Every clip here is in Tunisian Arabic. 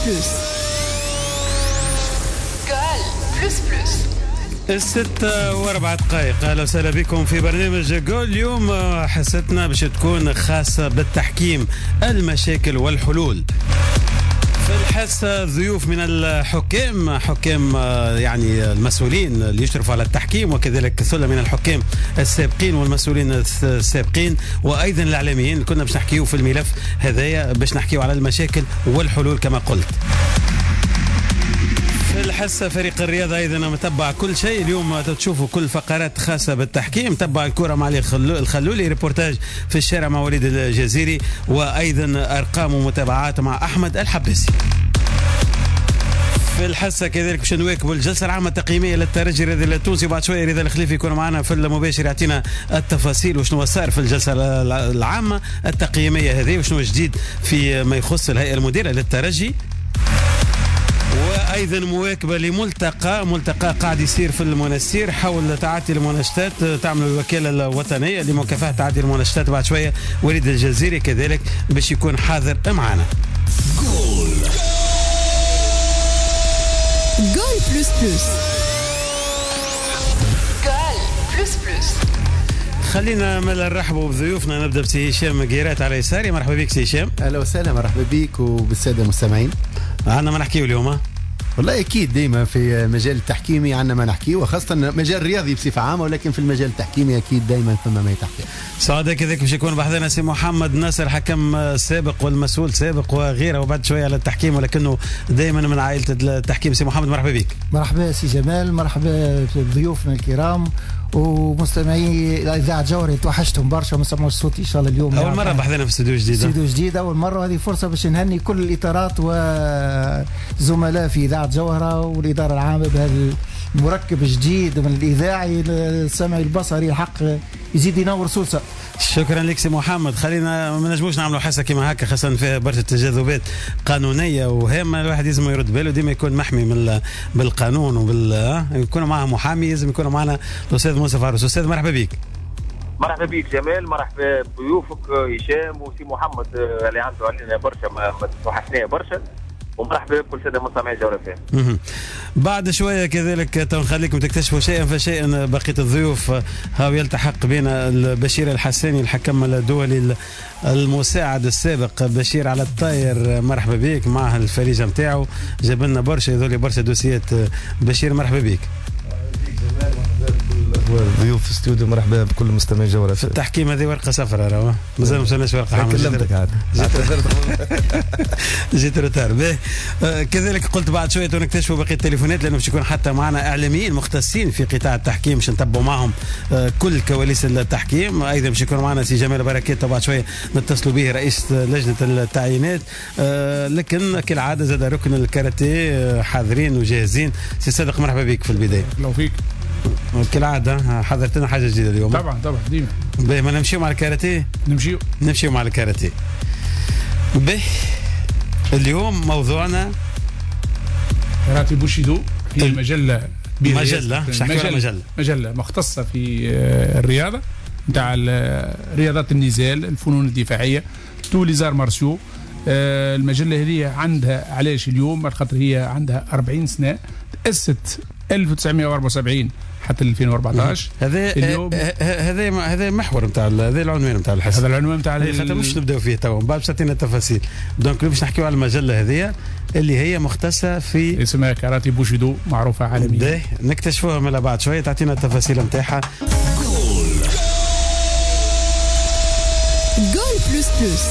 plus. Goal plus plus. 6:04. أهلا وسهلا بكم في برنامج جول. اليوم حصتنا باش تكون خاصة بالتحكيم، المشاكل والحلول. في الحصة ضيوف من الحكام، حكام يعني المسؤولين اللي يشرفوا على التحكيم، وكذلك ثلة من الحكام السابقين والمسؤولين السابقين، وأيضا الإعلاميين. كنا باش نحكيو في الملف هذايا، باش نحكيو على المشاكل والحلول كما قلت. في الحصة فريق الرياضة أيضا متبع كل شيء. اليوم تشوفوا كل فقرات خاصة بالتحكيم، تبع الكرة مع الخلولي، ريبورتاج في الشارع مع وليد الجزيري، وأيضا أرقام ومتابعات مع أحمد الحباسي. في الحصة كذلك باش نواكبوا الجلسة العامة التقييمية للترجي الرياضي التونسي، وبعد شوية رضا الخليفي يكون معنا في المباشر يعطينا التفاصيل وشنو صار في الجلسة العامة التقييمية هذه، وشنو جديد في ما يخص الهيئة المديرة للترجي. وايضا مواكبة لملتقى، ملتقى قاعد يصير في المنستير حول تعاطي المنشطات، تعمل الوكالة الوطنية لمكافحة تعاطي المنشطات. بعد شوية وليد الجزيري كذلك باش يكون حاضر معنا. Goal goal plus plus. Goal plus plus. خلينا نرحبوا بضيوفنا. نبدا بسي هشام قيرات على يساري. مرحبا بك سي هشام. اهلا وسهلا، مرحبا بك وبالساده المستمعين. عندنا ما نحكيو اليوم. والله اكيد ديما في مجال التحكيمي عندنا ما نحكيه، وخاصة مجال الرياضي بصفة عامة، ولكن في المجال التحكيمي اكيد دائما ثم ما يتحكي. سعداء كذلك باش يكون بحذنا سي محمد ناصر، حكم سابق والمسؤول سابق وغيره، وبعد شوية على التحكيم، ولكنه دائما من عائلة التحكيم. سي محمد مرحبا بك. مرحبا سي جمال، مرحبا بضيوفنا الكرام ومستمعي اذاعة جوهري. توحشتهم برشا وما سمعوش صوتي. ان شاء الله اليوم اول مرة بحذنا في استوديو جديد، استوديو جديد اول مرة، وهذه فرصة باش نهني كل الاطارات وزملاء في اذاعة جوهره والادارة العامة بهذا المركب الجديد من الاذاعي السمعي البصري، الحق يزيد ينور سوسة. شكرا لك سي محمد. خلينا ما نجموش نعملوا حصة كيما هكا، خاصة فيها برشا تجاذبات قانونية وهامه، الواحد لازم يرد باله ديما يكون محمي من بالقانون وبال يكون معاه محامي، لازم يكون معنا الاستاذ منصف عروس. استاذ مرحبا بك. مرحبا بك جمال، مرحبا بضيوفك هشام وسي محمد اللي عنده علينا برشا، ما توحشناه برشا، ومرحبا بكل ساده مستمعي جوهرة. بعد شوية كذلك نخليكم تكتشفوا شيئا فشيئا بقية الضيوف. هاو يلتحق بنا البشير الحساني، الحكم الدولي المساعد السابق. بشير على الطاير، مرحبا بك. معه الفريجه نتاعو، جاب لنا برشا يذولي برشا دوسيات. بشير مرحبا بك. ضيوف في الاستوديو، مرحبا بكل مستمعي جوهرة. في التحكيم هذه ورقة صفراء، راهو مازال ما وصلناش ورقة حمراء. كلمتك عاد، جيت retard. كذلك قلت بعد شوية نكتشفوا بقية التليفونات، لانه باش يكون حتى معنا اعلاميين مختصين في قطاع التحكيم باش نتبعوا معهم كل كواليس التحكيم. ايضا باش يكون معنا سي جمال بركات، بعد شوية نتصلوا به رئيس لجنة التعيينات. لكن كالعادة زاد ركن الكاراتيه حاضرين وجاهزين. سي صادق مرحبا بك في البداية. لو فيك كالعادة حضرت لنا حاجة جديدة اليوم. طبعا طبعا ديما. باهي، ما نمشيو مع الكاراتيه؟ نمشيو مع الكاراتيه. باهي، اليوم موضوعنا كاراتيه بوشيدو. هي مجلة كبيرة، مجلة مجلة مختصة في الرياضة نتاع رياضات النزال، الفنون الدفاعية، tous les arts martiaux. المجلة هذه عندها علاش اليوم؟ خاطر هي عندها 40 سنة، تأسست 1974 حتى 2014. هذا هذا محور نتاع هذا العنوان نتاع الحصة، هذا العنوان نتاع خاطر مش نبداو فيه توا، من بعد باش تعطينا التفاصيل. donc باش نحكيو على المجلة هذه اللي هي مختصة في اسمها كاراتي بوشيدو، معروفة عالميا. نكتشفوها من بعد شوية، تعطينا التفاصيل نتاعها. Goal plus plus.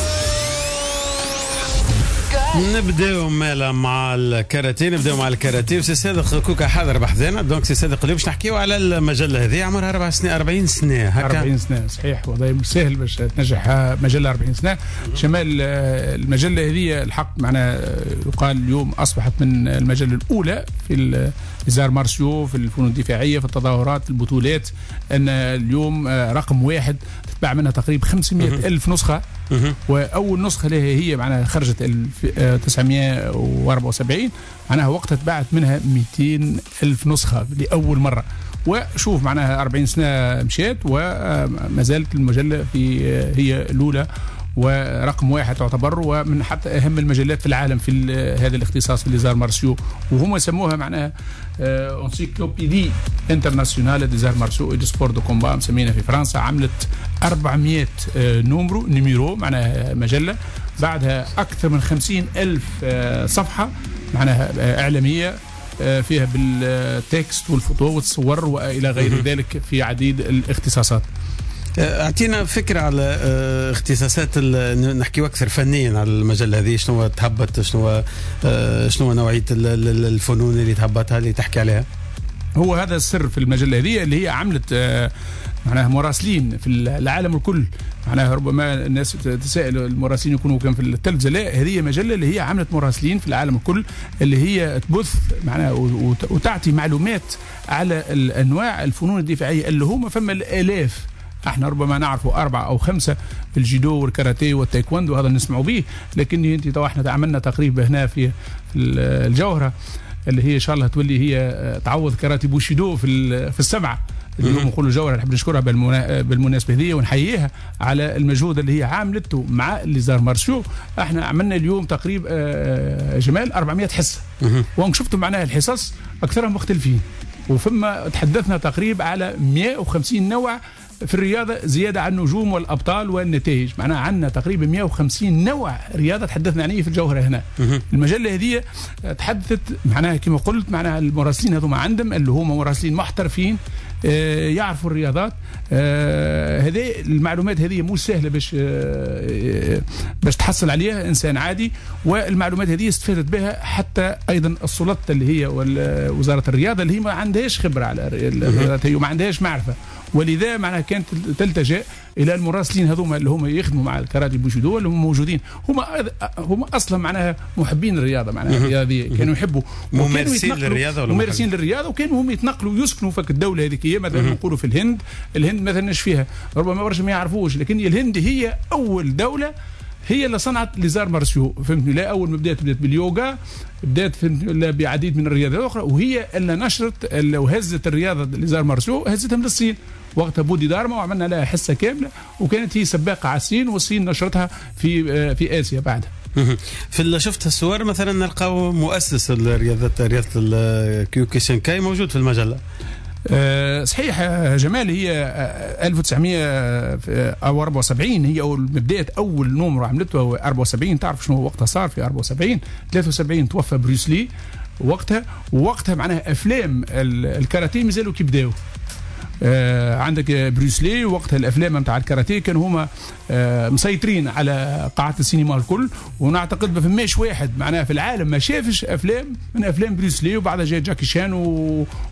نبداو مالا مع الكاراتيه، نبداو مع الكاراتيه. وسي صادق كوكا حاضر بحذانا. donc سي صادق اليوم باش نحكيو على المجلة هذه، عمرها 4 سنين، 40 سنة هكا. 40 سنة صحيح، والله مش سهل باش تنجح مجلة 40 سنة. شمال المجلة هذه الحق معنا يقال اليوم اصبحت من المجلة الاولى في les arts martiaux، في الفنون الدفاعية، في التظاهرات، البطولات. ان اليوم رقم واحد، تتباع منها تقريبا 500 ألف نسخه. واول نسخه لها هي معناها خرجت 1974، معناها وقتها تباعت منها 200 ألف نسخة لأول مرة. وشوف معناها 40 سنة مشات وما زالت المجلة في هي الأولى. ورقم واحد تعتبر، ومن حتى اهم المجلات في العالم في هذا الاختصاص في les arts martiaux، وهما سموها معناها encyclopédie internationale des arts martiaux et des sports de combat، مسمينها في فرنسا. عملت 400 numéro معناها مجلة، بعدها اكثر من 50 الف صفحة معناها اعلامية فيها بال texte وال photo والصور والى غير ذلك في عديد الاختصاصات. اعطينا فكرة على اختصاصات، نحكيو اكثر فنيا على المجلة هذه، شنو تهبط، شنو نوعية الفنون اللي تهبطها اللي تحكي عليها؟ هو هذا السر في المجلة هذه اللي هي عملت معناها مراسلين في العالم الكل. معناها ربما الناس تسأل المراسلين يكونوا كان في التلفزة، لا، هذه مجلة اللي هي عملت مراسلين في العالم الكل، اللي هي تبث معناها وتعطي معلومات على الانواع الفنون الدفاعية اللي هما فما الالاف. احنا ربما نعرفوا 4 أو 5، الجيدو والكاراتيه والتايكوندو، هذا نسمعوا به، لكن انت تو احنا عملنا تقريبا هنا في الجوهرة اللي هي ان شاء الله تولي هي تعوض كاراتي بوشيدو في السبعة اللي هم نقولوا الجوهرة. نحب نشكرها بالمناسبة هذه ونحييها على المجهود اللي هي عاملته مع les arts martiaux. احنا عملنا اليوم تقريبا جمال 400 حصة، وان شفتوا معناها الحصص اكثرهم مختلفين، وفما تحدثنا تقريبا على 150 نوع في الرياضة زيادة عن النجوم والابطال والنتائج. معناها عندنا تقريبا 150 نوع رياضة تحدثنا عليه في الجوهرة هنا. المجلة هذه تحدثت معناها كما قلت معناها المراسلين هذوما عندهم اللي هما مراسلين محترفين يعرفوا الرياضات. هذه المعلومات هذه مش سهلة باش تحصل عليها انسان عادي، والمعلومات هذه استفادت بها حتى ايضا السلطات اللي هي وزارة الرياضة اللي هي ما عندهاش خبره على الرياضات هي وما عندهاش معرفة، ولذا معناها كانت تلتجئ الى المراسلين هذوما اللي هما يخدموا مع الكاراتي بوشيدو اللي هم موجودين، هما اصلا معناها محبين الرياضة، معناها الرياضية كانوا يحبوا، ممارسين للرياضة ولا ممارسين للرياضة، وكانوا هم يتنقلوا يسكنوا في الدولة هذيك. مثلا نقولوا في الهند، الهند مثلا ايش فيها؟ ربما برشا ما يعرفوش، لكن الهند هي اول دولة هي اللي صنعت les arts martiaux، فهمتني؟ لا، اول ما بدات باليوغا، بدات فهمتني بعديد من الرياضات الاخرى، وهي اللي نشرت وهزت الرياضة les arts martiaux، هزتها من الصين وقتها بودي دارما، وعملنا لها حصة كاملة، وكانت هي سباقه على الصين، والصين نشرتها في اسيا بعدها. في شفت الصور مثلا نلقاو مؤسس الرياضة، رياضة الكيوكوشنكاي موجود في المجلة. صحيح جمال، هي 1974 هي اول بداية اول numéro عملته هو 74. تعرف شنو وقتها صار في 74؟ 73 توفى بروسلي وقتها، ووقتها معناها افلام الكاراتيه مازالوا كي بداوا. عندك بروسلي وقتها الافلام نتاع الكاراتيه كانوا هما مسيطرين على قاعات السينما الكل، ونعتقد ما فماش واحد معناها في العالم ما شافش افلام من افلام بروسلي، وبعدها جاء جاكي شان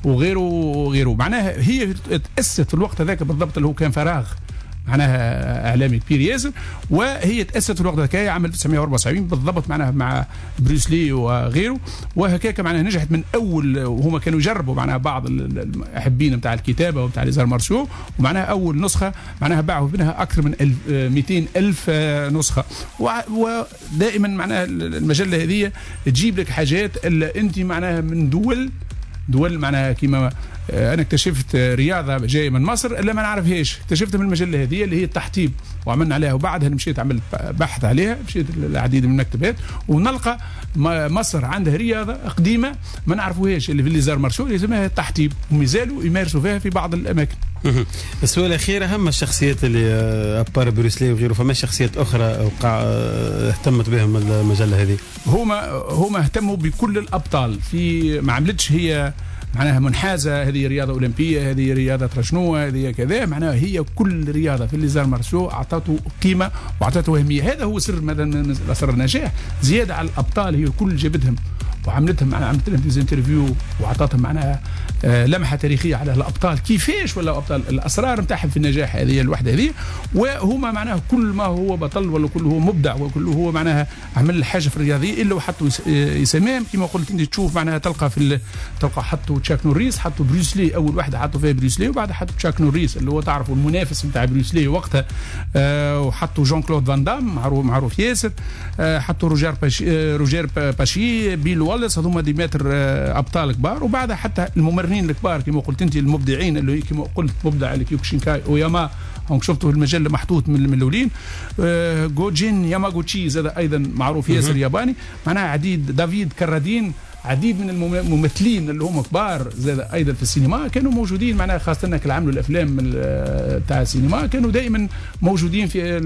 وغيره وغيره. معناها هي تاسست في الوقت هذاك بالضبط اللي هو كان فراغ معناها اعلامي كبير ياسر، وهي تاسست في الوقت هذاك عام 1974 بالضبط معناها مع بروسلي وغيره، وهكاك معناها نجحت من اول، وهما كانوا يجربوا معناها بعض المحبين نتاع الكتابة ومتاع les arts martiaux، ومعناها اول نسخه معناها باعوا منها اكثر من 200 الف نسخه. ودائما معناها المجلة هذه تجيب لك حاجات اللي انت معناها من دول معناها كيما انا اكتشفت رياضة جاية من مصر اللي ما نعرفهاش، اكتشفتها من المجلة هذه اللي هي التحطيب، وعملنا عليها، وبعدها مشيت عملت بحث عليها، مشيت العديد من المكتبات ونلقى مصر عندها رياضة قديمة ما نعرفوهاش اللي في les arts martiaux اللي اسمها التحطيب، ومازالوا يمارسوا فيها في بعض الاماكن. السؤال الاخير، اهم الشخصيات اللي à part بروسلي وغيره، فما شخصيات اخرى وقع اهتمت بهم المجلة هذه؟ هما اهتموا بكل الابطال، في ما عملتش هي معناها منحازه، هذه رياضة اولمبيه، هذه رياضة ترشنو، هذه كذا، معناها هي كل رياضة في les arts martiaux اعطته قيمة واعطته اهمية. هذا هو سر مثلا سر النجاح، زيادة على الابطال هي كل جابتهم وعملتهم معناها عملت لهم des interviews وعطاتهم معناها لمحه تاريخية على الابطال كيفاش ولا ابطال، الاسرار نتاعهم في النجاح هذه الوحدة هذه، وهما معناها كل ما هو بطل ولا كل هو مبدع وكل هو معناها عمل حاجة في الرياضية الا وحطوا يسميهم كما قلت انت. تشوف معناها تلقى في تلقى حطوا تشاك نوريس، حطوا بروسلي اول واحدة حطوا فيها بروسلي، وبعدها حطوا تشاك نوريس اللي هو تعرفوا المنافس نتاع بروسلي وقتها، وحطوا جون كلود فان دام معروف ياسر، حطوا روجير باشي، بيل والس، هذوما des maîtres ابطال كبار. وبعدها حتى الممرنين الكبار كما قلت انت، المبدعين اللي كما قلت مبدع الكيوكوشينكاي اوياما، هم شفتوا المجلة محطوط من الاولين. جوجين ياماغوتشي زاد ايضا معروف ياسر ياباني، معناها عديد، دافيد كرادين، عديد من الممثلين اللي هم كبار زاد ايضا في السينما كانوا موجودين، معناها خاصة اللي عملوا الافلام تاع السينما كانوا دائما موجودين في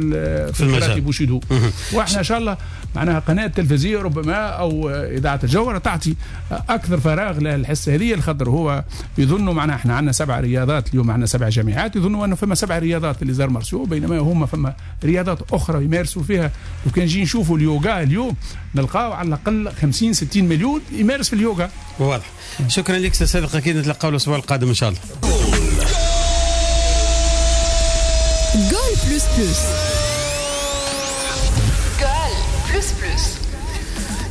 الكاراتيه بوشيدو. واحنا ان شاء الله معناها قناة تلفزيونية ربما او اذاعة الجوهرة تعطي اكثر فراغ للحصه هذه، الخاطر هو يظنوا معناها احنا عندنا 7 رياضات اليوم، عندنا 7 جامعات، يظنوا انه فما 7 رياضات les arts martiaux، بينما هما فما رياضات اخرى يمارسوا فيها. لو كان نجي نشوفوا اليوغا اليوم نلقاو على الاقل 50-60 مليون يمارس في اليوغا. واضح. شكرا لك سي صادق، اكيد نتلقاو الاسبوع القادم ان شاء الله. Goal plus plus. Goal plus plus.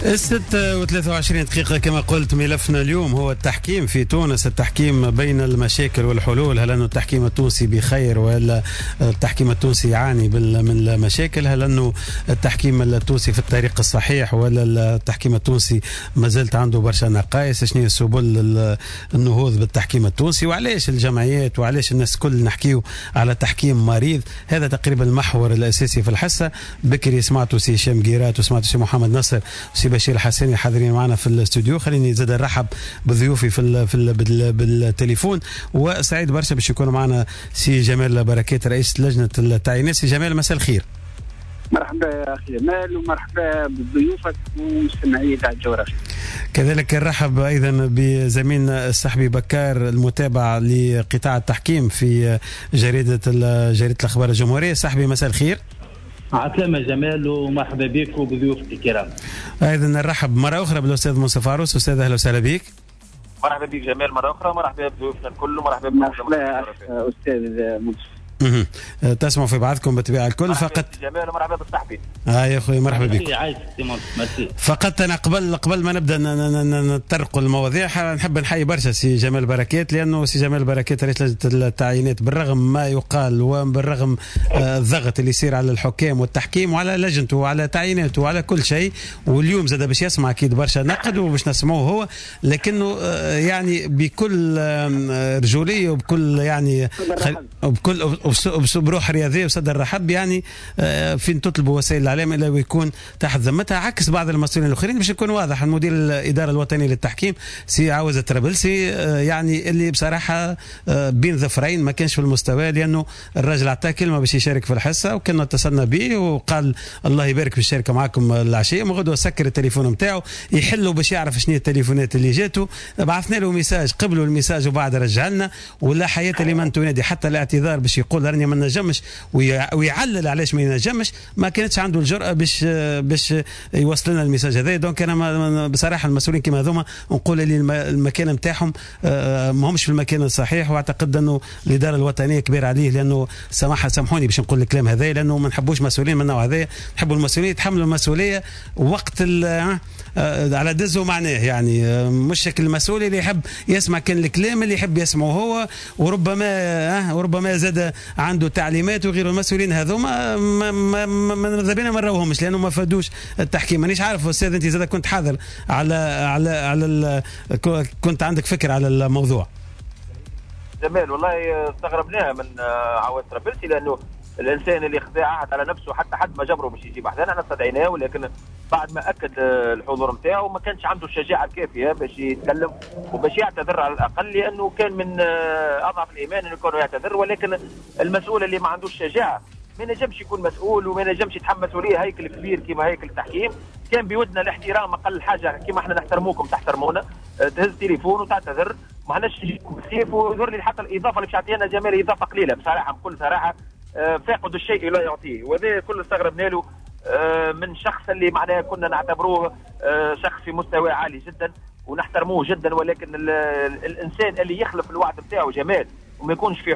6:23 كما قلت، ملفنا اليوم هو التحكيم في تونس، التحكيم بين المشاكل والحلول. هل أن التحكيم التونسي بخير ولا التحكيم التونسي يعاني من المشاكل؟ هل أنه التحكيم التونسي في الطريق الصحيح ولا التحكيم التونسي ما زالت عنده برشا نقائص؟ شنو سبل النهوض بالتحكيم التونسي؟ وعلاش الجمعيات وعلاش الناس كل نحكيو على تحكيم مريض؟ هذا تقريبا المحور الأساسي في الحصة. بكري سمعتوا سي هشام قيرات وسمعتوا سي محمد نصر وسي بشير الحساني حاضرين معنا في الاستوديو. خليني زاد نرحب بضيوفي في في بالتليفون، وسعيد برشا باش يكون معنا سي جمال بركات رئيس لجنة التعيينات. سي جمال مساء الخير. مرحبا يا اخي جمال، ومرحبا بضيوفك ومستمعي اذاعة الجوهرة. كذلك نرحب ايضا بزميلنا الصحبي بكار المتابع لقطاع التحكيم في جريدة الاخبار الجمهورية. صحبي مساء الخير. عسلامة جمال، ومرحبا بك وبضيوفك الكرام. ايضا نرحب مرة اخرى بالاستاذ منصف عروس. استاذ اهلا وسهلا بك. مرحبا بك جمال مرة اخرى، مرحبا بضيوفنا الكل، ومرحبا بكم استاذ منصف. تسمعوا في بعضكم بالطبيعة الكل. فقط جمال ومرحبا بالصحبي. يا اخوي مرحبا بك. فقط انا قبل ما نبدا نطرقوا المواضيع نحب نحيي برشا سي جمال بركات، لانه سي جمال بركات رئيس لجنة التعيينات بالرغم ما يقال وبالرغم الضغط اللي يصير على الحكام والتحكيم وعلى لجنته وعلى تعييناته وعلى كل شيء، واليوم زاد باش يسمع اكيد برشا نقد وباش نسمعوه هو، لكنه يعني بكل رجوليه وبكل يعني وبكل بروح رياضية وصدر رحب، يعني فين تطلبوا وسائل الاعلام الا ويكون تحت ذمتها، عكس بعض المسؤولين الاخرين. باش يكون واضح، المدير الادارة الوطنية للتحكيم سي عاوز الطرابلسي يعني اللي بصراحة بين ظفرين ما كانش في المستوى، لانه الراجل عطاه كلمة باش يشارك في الحصة وكنا اتصلنا به وقال الله يبارك في الشركة معكم العشية، من غدوه سكر التليفون نتاعو يحلوا باش يعرف شنو التليفونات اللي جاته، بعثنا له message قبلوا ال message وبعد رجع لنا، ولا حياة لمن تنادي. حتى الاعتذار باش يقول راني ما نجمش ويعلل علاش ما ينجمش، ما كانتش عنده الجرأة باش يوصل لنا ال message هذا. donc انا بصراحة المسؤولين كيما هذوما نقول اللي المكان نتاعهم ما همش في المكان الصحيح، واعتقد انه الادارة الوطنية كبيرة عليه، لانه سامحوني باش نقول الكلام هذا، لانه ما نحبوش مسؤولين من النوع هذا، نحبوا المسؤولين يتحملوا المسؤولية وقت على دزه معناه، يعني مش شكل المسؤول اللي يحب يسمع كان الكلام اللي يحب يسمعه هو، وربما زاد عنده تعليمات وغيره. المسؤولين هذوما ماذا بينا ما نراوهمش لانه ما فادوش التحكيم. مانيش عارف استاذ انت زاد كنت حاضر على على على كنت عندك فكرة على الموضوع. جمال والله استغربناها من عواد طرابلسي، لانه الانسان اللي خذا عهد على نفسه حتى حد ما جبرة باش يجيب احدانا، احنا استدعيناه، ولكن بعد ما اكد الحضور نتاعو ما كانش عنده الشجاعة الكافيه باش يتكلم وباش يعتذر على الاقل، لانه كان من اضعف الايمان انه يكون يعتذر. ولكن المسؤول اللي ما عندوش شجاعة ما ينجمش يكون مسؤول وما ينجمش يتحمل مسؤولية هيكل كبير كيما هيكل التحكيم. كان بودنا الاحترام اقل حاجة، كيما احنا نحترموكم تحترمونا، تهز تليفون وتعتذر، ما عندناش بالسيف. ويظهر لي حتى الاضافة اللي باش يعطينا جمال اضافه قليله بصراحة، بكل صراحة فاقد الشيء لا يعطيه، وهذا كله استغربنا له من شخص اللي معناه كنا نعتبروه شخص في مستوى عالي جدا ونحترموه جدا، ولكن الانسان اللي يخلف الوعد نتاعو جمال وما يكونش في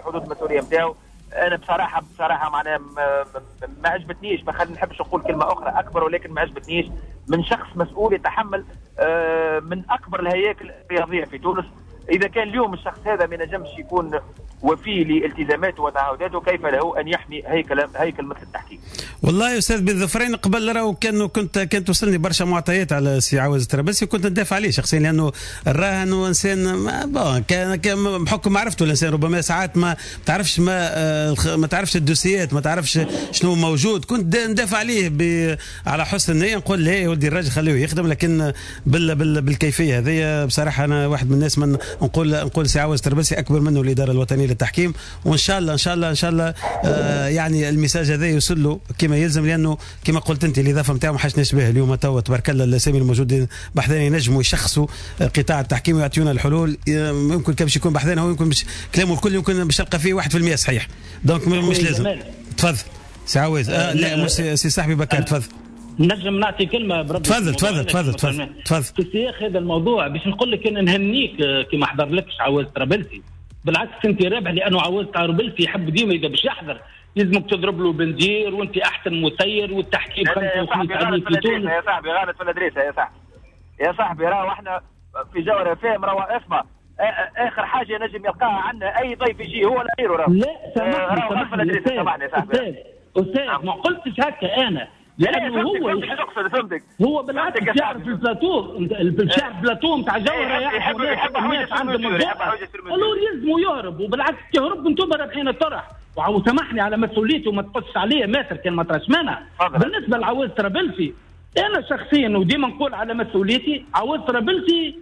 حدود المسؤولية نتاعو، انا بصراحة معناها ما عجبتنيش، ما نحبش نقول كلمة اخرى اكبر، ولكن ما عجبتنيش من شخص مسؤول يتحمل من اكبر الهياكل الرياضية في تونس. اذا كان اليوم الشخص هذا ما ينجمش يكون وفي لالتزاماته وتعهداته، كيف له ان يحمي هيكل مثل التحكيم؟ والله يا استاذ بن ظفرين، قبل راهو كانت توصلني برشا معطيات على سي عواز الطرابلسي، وكنت ندافع عليه شخصيا لانه راه انه انسان كان بحكم معرفته الانسان ربما ساعات ما تعرفش ما تعرفش الدوسيات، ما تعرفش شنو موجود، كنت ندافع عليه على حسن النية، نقول لا يا ولدي الراجل خليه يخدم، لكن بالكيفية هذه بصراحة انا واحد من الناس من نقول سي عواز الطرابلسي اكبر منه الادارة الوطنية للتحكيم، وان شاء الله ان شاء الله ان شاء الله يعني ال message هذا يوصل له كما يلزم، لانه كما قلت انت الاضافة نتاعو ما حاجناش به اليوم. توا تبارك الله الاسامي الموجودين بحذانا ينجموا يشخصوا قطاع التحكيم ويعطيونا الحلول. يمكن كان باش يكون بحذانا هو، يمكن باش كلامه الكل يمكن باش تلقى فيه 1% صحيح، donc مش لازم. تفضل سي عواز. لا مش سي صاحبي بكر، تفضل. نجم نعطي كلمة بربي؟ تفضل تفضل تفضل تفضل تفضل. في سياق هذا الموضوع باش نقول لك انا نهنيك كي ما حضرلكش عواز طرابلسي، بالعكس انت رابح، لانه عواز طرابلسي يحب ديما اذا باش يحضر لازمك تضرب له بندير، وانت احسن مسير والتحكيم 55 عليه في تونس. يا صاحبي غلط في l'adresse يا صاحبي، يا صاحبي راهو احنا في جوهرة فاهم، راهو اسمع اخر حاجة نجم يلقاها عندنا اي ضيف يجي هو لا غيره. راهو لا سامحني سامحني استاذ استاذ، ما قلتش هكا انا، لانه هو فهمتك، هو بالعكس يعرف البلاتو، يعرف البلاتو نتاع جوهره، يعرف الناس عندهم alors يلزموا يهرب، وبالعكس يهرب انتم رابحين الطرح. وسامحني على مسؤوليته وما تقصش عليه ماتر كان ما تراش مانع. بالنسبة لعواز طرابلسي انا شخصيا وديما نقول على مسؤوليتي، عواز طرابلسي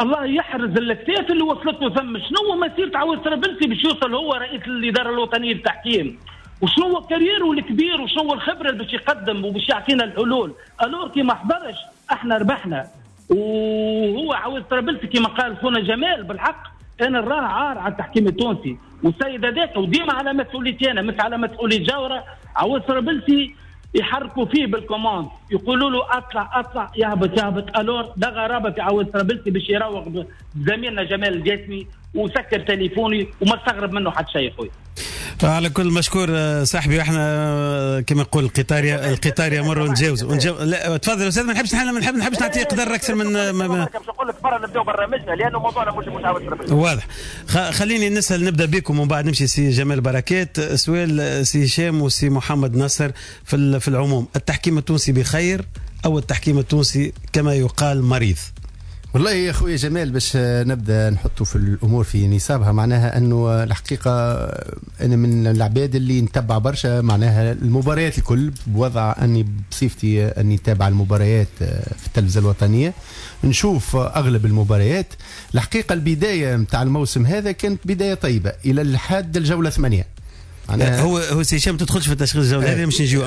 الله يحرز الاكتاف اللي وصلت له ثم. شنو مسيره عواز طرابلسي باش يوصل هو رئيس الادارة الوطنية للتحكيم؟ وشنو هو carrière و الكبير، وشنو هو الخبرة اللي باش يقدم وباش يعطينا الحلول؟ alors كي ما حضرش احنا ربحنا. وهو عواز طرابلسي كما قال خونا جمال بالحق انا نراه عار على التحكيم التونسي والسيد هذاك، وديما على مسؤوليتي انا مش على مسؤولية جوهره. عواز طرابلسي يحركوا فيه بال commande، يقولوا له اطلع اطلع، يهبط يهبط. alors ده غرابه في عواز طرابلسي باش يراوغ زميلنا جمال الجاسمي وسكر تليفوني وما استغرب منه حتى شيء خويا. على كل مشكور صاحبي، واحنا كما نقول القطار يمر ونتجاوزوا. لا تفضل استاذ، ما نحبش ما نحبش نعطي قدر اكثر من باش نقول لك برا نبداو برنامجنا لانه موضوعنا مش عاوز. واضح. خليني نسال، نبدا بكم ومن بعد نمشي سي جمال بركات. سؤال سي هشام وسي محمد نصر في العموم، التحكيم التونسي بخير او التحكيم التونسي كما يقال مريض؟ والله يا خويا جمال باش نبدا نحطه في الامور في نصابها، معناها انه الحقيقة انا من العباد اللي نتبع برشا معناها المباريات الكل، بوضع اني بصفتي اني نتابع المباريات في التلفزة الوطنية، نشوف اغلب المباريات. الحقيقة البداية نتاع الموسم هذا كانت بداية طيبة الى لحد الجولة 8. هو سي هشام ما تدخلش في تشخيص الجولة هذه مش نجيو،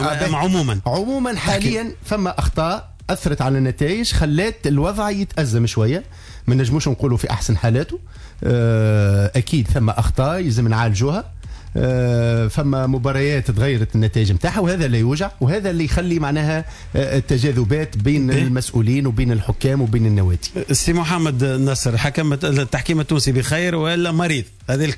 عموما حاليا فما اخطاء اثرت على النتائج، خلات الوضع يتازم شوية، ما نجموش نقولوا في احسن حالاته. اكيد ثم اخطاء لازم نعالجوها، فما مباريات تغيرت النتائج نتاعها، وهذا اللي يوجع وهذا اللي يخلي معناها التجاذبات بين المسؤولين وبين الحكام وبين النوادي. سي محمد نصر، حكم التحكيم التونسي بخير ولا مريض؟ هذه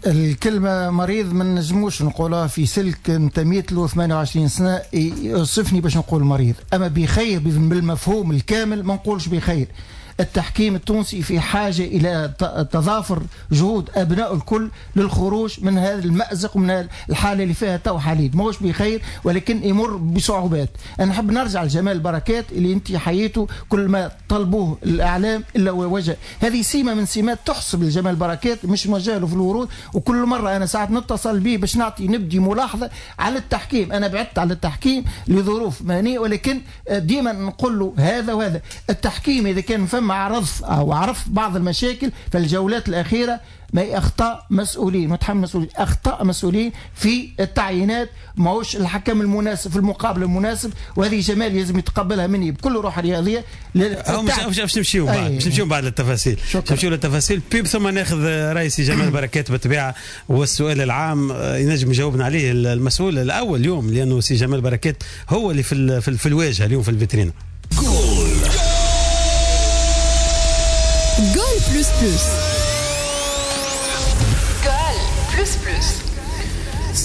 الكلمة مريض ما نجموش نقولها في سلك انتميت له 28 سنة يوصفني باش نقول مريض، أما بخير بالمفهوم الكامل ما نقولش بخير. التحكيم التونسي في حاجة إلى تضافر جهود أبناء الكل للخروج من هذا المأزق ومن الحالة اللي فيها تو حاليا. ماهوش بخير ولكن يمر بصعوبات. أنا نحب نرجع لجمال بركات اللي أنت حييته كل ما طلبوه الإعلام إلا وجه، هذه سيمة من سمات تحسب لجمال بركات مش موجه له في الورود. وكل مرة أنا ساعات نتصل به باش نعطي نبدي ملاحظة على التحكيم، أنا بعدت على التحكيم لظروف مهنية، ولكن ديما نقول له هذا وهذا. التحكيم إذا كان فما عرض او عرف بعض المشاكل في الجولات الاخيرة، ما هي اخطاء مسؤولين، متحمل مسؤولين، اخطاء مسؤولين في التعيينات، ماهوش الحكم المناسب في المقابل المناسب، وهذه جمال لازم يتقبلها مني بكل روح رياضية. باش نمشيو بعد، باش نمشيو بعد للتفاصيل، نمشيو للتفاصيل بيب ثم ناخذ راي سي جمال بركات بالطبيعة، والسؤال العام ينجم يجاوبنا عليه المسؤول الاول اليوم، لانه سي جمال بركات هو اللي في الواجهة اليوم في الفيترينا. Goal plus plus. Goal plus plus.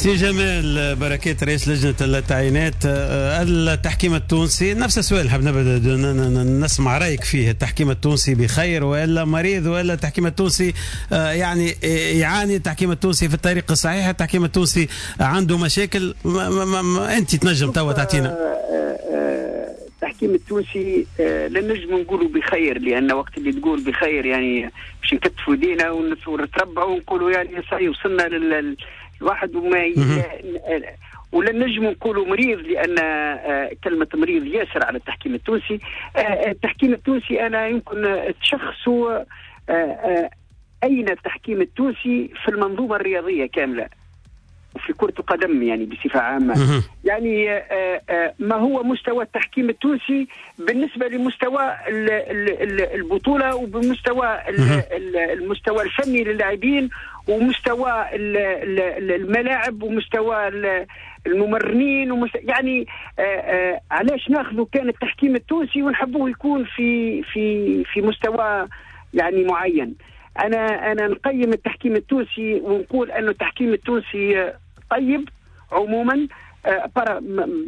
سي جمال بركات رئيس لجنة التعيينات، التحكيم التونسي نفس السؤال حاب نبدا نسمع رايك فيه. التحكيم التونسي بخير والا مريض، والا التحكيم التونسي يعني يعاني؟ التحكيم التونسي في الطريق الصحيح؟ التحكيم التونسي عنده مشاكل؟ ما ما ما انت تنجم توا تعطينا. التحكيم التونسي لا نجم نقولوا بخير، لان وقت اللي تقول بخير يعني باش نكتفوا دينا ونتربعوا ونقولوا يعني صحيح وصلنا للواحد وما، ولا نجم نقولوا مريض، لان كلمة مريض ياسر على التحكيم التونسي. التحكيم التونسي انا يمكن تشخصوا اين التحكيم التونسي في المنظومة الرياضية كاملة وفي كرة القدم يعني بصفة عامة. يعني ما هو مستوى التحكيم التونسي بالنسبة لمستوى البطولة وبمستوى المستوى الفني للاعبين ومستوى الملاعب ومستوى الممرنين يعني علاش ناخذوا كان التحكيم التونسي ونحبوه يكون في في في مستوى يعني معين؟ انا نقيم التحكيم التونسي ونقول انه التحكيم التونسي طيب عموما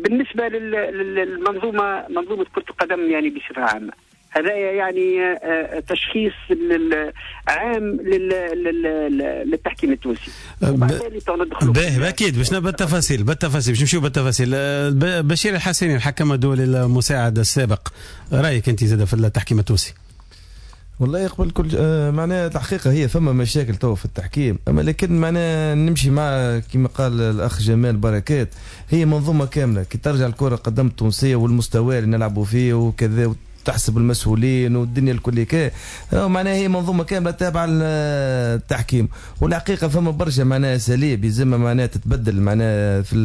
بالنسبة للمنظومة، منظومة كره القدم يعني بصفة عامة. هذا يعني تشخيص عام للتحكيم التونسي. باهي اكيد باش بالتفاصيل، بالتفاصيل باش نمشيو بالتفاصيل. بشير الحسيني الحكم الدولي المساعد السابق، رايك انت زاد في التحكيم التونسي؟ والله قبل كل معناها الحقيقة هي فما مشاكل تو في التحكيم، اما لكن معناها نمشي مع كما قال الاخ جمال بركات، هي منظومة كاملة. كي ترجع الكره قدم التونسية والمستوى اللي نلعبوا فيه وكذا، تحسب المسؤولين والدنيا الكل كي، معناها هي منظومة كاملة تابعه للتحكيم. والحقيقة فما برشا معناها اساليب يلزمها معناها تتبدل معناها في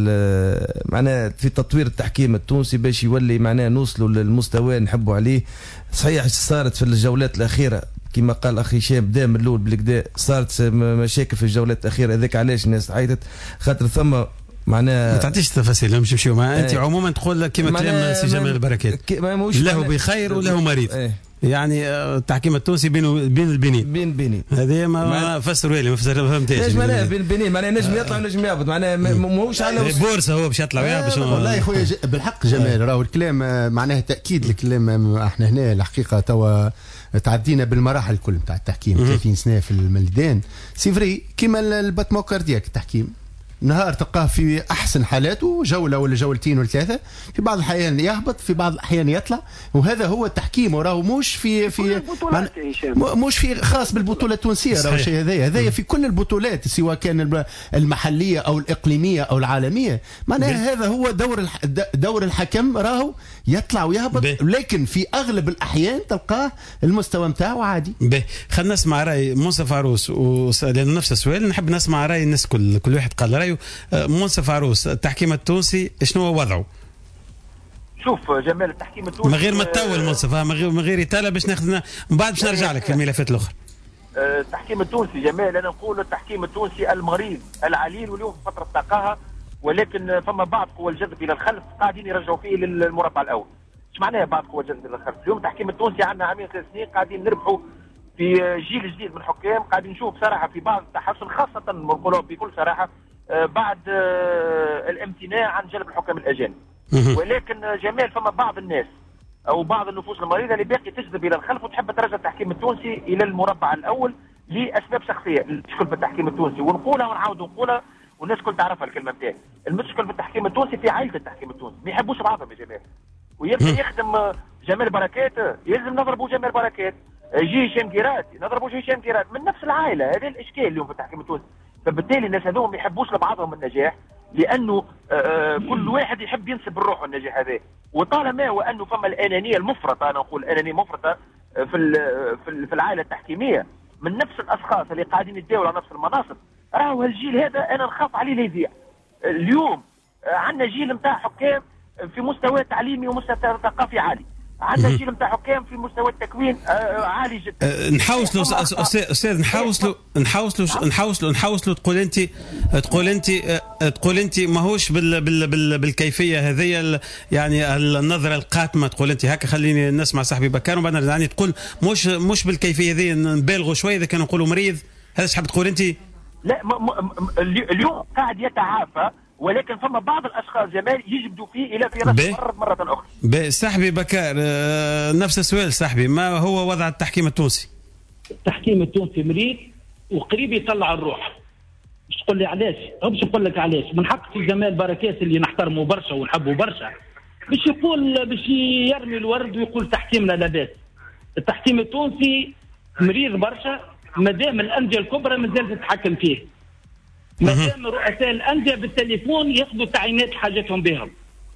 معناها في تطوير التحكيم التونسي باش يولي معناها نوصلوا للمستوى اللي نحبوا عليه. صحيح صارت في الجولات الاخيرة كما قال اخي هشام، بدا من الاول بالكدا صارت مشاكل في الجولات الاخيرة، هذاك علاش الناس عيطت، خاطر ثم معناها ما تعطيش التفاصيل مش نمشيو مع انت. عموما تقول كما كلام سي جمال البركات، له بخير وله مريض. يعني التحكيم التونسي بين البنين، بين بينين هذه ما فسروا لي، ما فهمتهاش. معناها بين البنين معناها نجم يطلع ونجم يهبط، معناها ماهوش على بورصة هو باش يطلع ويهبط. والله يا خويا بالحق جمال، راهو الكلام معناها تاكيد الكلام. احنا هنا الحقيقة توا تعدينا بالمراحل الكل نتاع التحكيم 30 سنة في الميدان. c'est vrai كيما ال battement cardiaque، التحكيم نهار تلقاه في احسن حالاته جولة ولا جولتين ولا ثلاثة، في بعض الاحيان يهبط، في بعض الاحيان يطلع، وهذا هو التحكيم. وراهو مش في في مش في خاص بالبطولة التونسية، راهو الشيء هذايا في كل البطولات سواء كان المحلية او الاقليمية او العالمية. معناها هذا هو دور الحكم، راهو يطلع ويهبط، لكن في اغلب الاحيان تلقاه المستوى نتاعو عادي. خلينا نسمع راي منصف عروس، لانه نفس السؤال نحب نسمع راي الناس، كل واحد قال رايه. منصف عروس، التحكيم التونسي شنو هو وضعه؟ شوف جمال، التحكيم التونسي من غير ما تطول منصف، من غير اطاله باش ناخذ من بعد باش نرجع لك في الملفات الاخرى. التحكيم التونسي جمال، انا نقول التحكيم التونسي المريض العليل، واليوم في فترة تقاها، ولكن فما بعض قوى الجذب الى الخلف قاعدين يرجعوا فيه للمربع الاول. ايش معناها بعض قوى الجذب الى الخلف؟ اليوم التحكيم التونسي عندنا عامين 3 سنين قاعدين نربحوا في جيل جديد من الحكام، قاعدين نشوف بصراحة في بعض التحسن، خاصة نقولوا بكل صراحة بعد الامتناع عن جلب الحكام الاجانب. ولكن جمال فما بعض الناس او بعض النفوس المريضة اللي باقي تجذب الى الخلف وتحب ترجع التحكيم التونسي الى المربع الاول لاسباب شخصية. المشكل في التحكيم التونسي، ونقولها ونعاود نقولها والناس الكل تعرفها الكلمة نتاعي، المشكل في التحكيم التونسي في عائلة التحكيم التونسي، ما يحبوش بعضهم يا جماعة. ويبدا يخدم جمال بركات يلزم نضربوا جمال بركات، يجي هشام كيرات نضربوا هشام كيرات، من نفس العائلة. هذا الاشكال اليوم في التحكيم التونسي. فبالتالي الناس هذوما ما يحبوش لبعضهم النجاح، لانه كل واحد يحب ينسب لروحه النجاح هذا. وطالما وانه فما الانانية المفرطة، انا نقول انانية مفرطة في العائلة التحكيميه من نفس الاشخاص اللي قاعدين يتداولوا على نفس المناصب، راهو هالجيل هذا انا نخاف عليه لا يضيع. اليوم عندنا جيل نتاع حكام في مستوى تعليمي ومستوى ثقافي عالي، عندنا جيل نتاع حكام في مستوى التكوين عالي جدا. نحوصلوا استاذ، نحوصلوا نحوصلوا نحوصلوا نحوصلوا تقول انت ماهوش بال بال بال بالكيفية هذه، يعني النظرة القاتمه. تقول انت هكا، خليني نسمع صاحبي بكار وبعد نرجع. يعني تقول مش بالكيفية هذه، نبالغوا شوية اذا كانوا نقولوا مريض. هذا اش حاب تقول انت؟ لا اليوم قاعد يتعافى، ولكن فما بعض الاشخاص جمال يجبدوا فيه الى فراش مرة اخرى. صاحبي بكار، نفس السؤال صاحبي، ما هو وضع التحكيم التونسي؟ التحكيم التونسي مريض وقريب يطلع الروح. باش تقول لي علاش؟ باش نقول لك علاش. من حق سي جمال بركات اللي نحترمه برشا ونحبه برشا باش يقول، باش يرمي الورد ويقول تحكيمنا لاباس. التحكيم التونسي مريض برشا مادام الاندية الكبرى مازالت تتحكم فيه، مادام رؤساء الاندية بالتليفون ياخذوا تعيينات حاجتهم بهم.